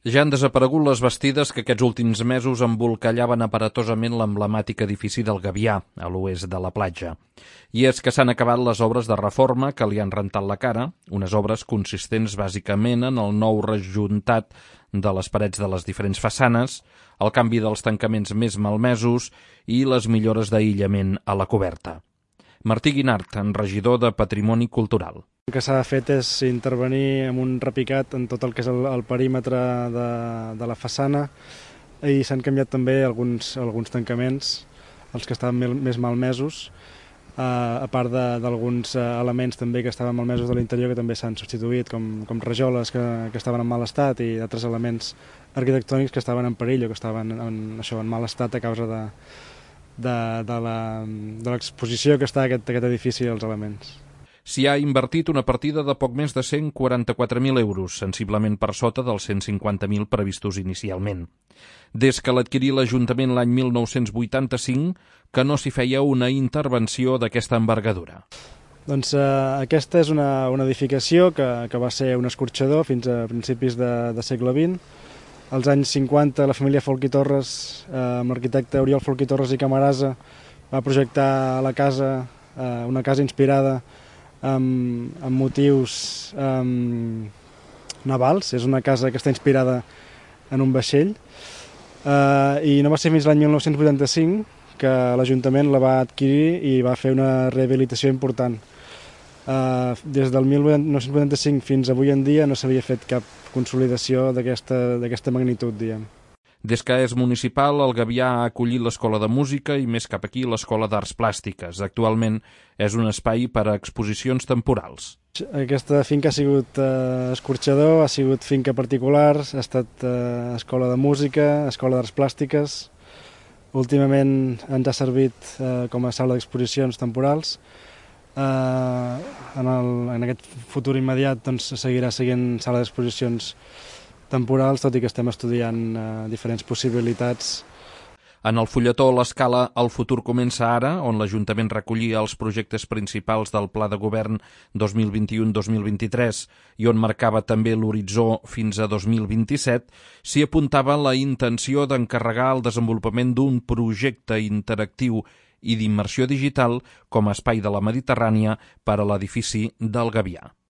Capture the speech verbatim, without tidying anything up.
Ja han desaparegut les bastides que aquests últims mesos embolcallaven aparatosament l'emblemàtic edifici del Gavià, a l'oest de la platja. I és que s'han acabat les obres de reforma que li han rentat la cara, unes obres consistents bàsicament en el nou rejuntat de les parets de les diferents façanes, el canvi dels tancaments més malmesos i les millores d'aïllament a la coberta. Martí Guinart, regidor de Patrimoni Cultural. El que s'ha fet és intervenir amb un repicat en tot el que és el, el perímetre de, de la façana i s'han canviat també alguns, alguns tancaments, els que estaven més malmesos, eh, a part d'alguns elements també que estaven malmesos de l'interior que també s'han substituït, com, com rajoles que, que estaven en mal estat i altres elements arquitectònics que estaven en perill o que estaven en, això, en mal estat a causa de, de, de l'exposició que està aquest, aquest edifici als elements. S'hi ha invertit una partida de poc més de cent quaranta-quatre mil euros, sensiblement per sota dels cent cinquanta mil previstos inicialment. Des que l'adquirí l'Ajuntament l'any mil nou-cents vuitanta-cinc, que no s'hi feia una intervenció d'aquesta envergadura. Doncs eh, aquesta és una, una edificació que, que va ser un escorxador fins a principis de, de segle vint. Als anys cinquanta la família Folch i Torres, eh, amb l'arquitecte Oriol Folch i Torres i Camarasa, va projectar la casa, eh, una casa inspirada Amb, amb motius um, navals. És una casa que està inspirada en un vaixell uh, i no va ser fins l'any mil nou-cents vuitanta-cinc que l'Ajuntament la va adquirir i va fer una rehabilitació important. Uh, des del mil nou-cents vuitanta-cinc fins avui en dia no s'havia fet cap consolidació d'aquesta d'aquesta magnitud, diguem. Des que és municipal, el Gavià ha acollit l'Escola de Música i més cap aquí l'Escola d'Arts Plàstiques. Actualment és un espai per a exposicions temporals. Aquesta finca ha sigut eh, escorxador, ha sigut finca particular, ha estat eh, escola de música, escola d'arts plàstiques. Últimament ens ha servit eh, com a sala d'exposicions temporals. Eh, en, el, en aquest futur immediat doncs, seguirà seguint sala d'exposicions temporals, tot i que estem estudiant eh, diferents possibilitats. En el fulletó l'escala El futur comença ara, on l'Ajuntament recollia els projectes principals del Pla de Govern dos mil vint-i-u dos mil vint-i-tres i on marcava també l'horitzó fins a dos mil vint-i-set, s'hi apuntava la intenció d'encarregar el desenvolupament d'un projecte interactiu i d'immersió digital com a espai de la Mediterrània per a l'edifici del Gavià.